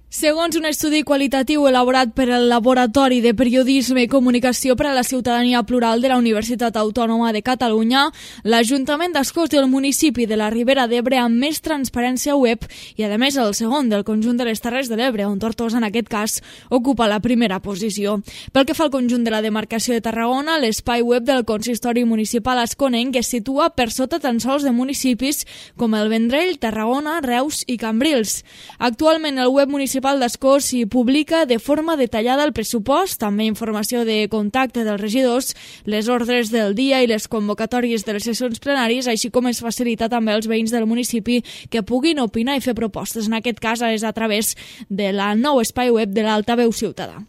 Segons un estudi qualitatiu elaborat per el Laboratori de Periodisme i Comunicació per a la Ciutadania Plural de la Universitat Autònoma de Catalunya, l'Ajuntament d'Ascós i el municipi de la Ribera d'Ebre amb més transparència web i, a més, el segon del conjunt de les Terres de l'Ebre, on Tortosa, en aquest cas, ocupa la primera posició. Pel que fa al conjunt de la demarcació de Tarragona, l'espai web del Consistori Municipal asconenc es situa per sota tan sols de municipis com el Vendrell, Tarragona, Reus i Cambrils. Actualment, el web municipal d'Ascós s'hi publica de forma detallada el pressupost, també informació de contacte dels regidors, les ordres del dia i les convocatòries de les sessions plenàries, així com es facilita també als veïns del municipi que puguin opinar i fer propostes. En aquest cas és a través de la nou espai web de l'Altaveu Ciutadà.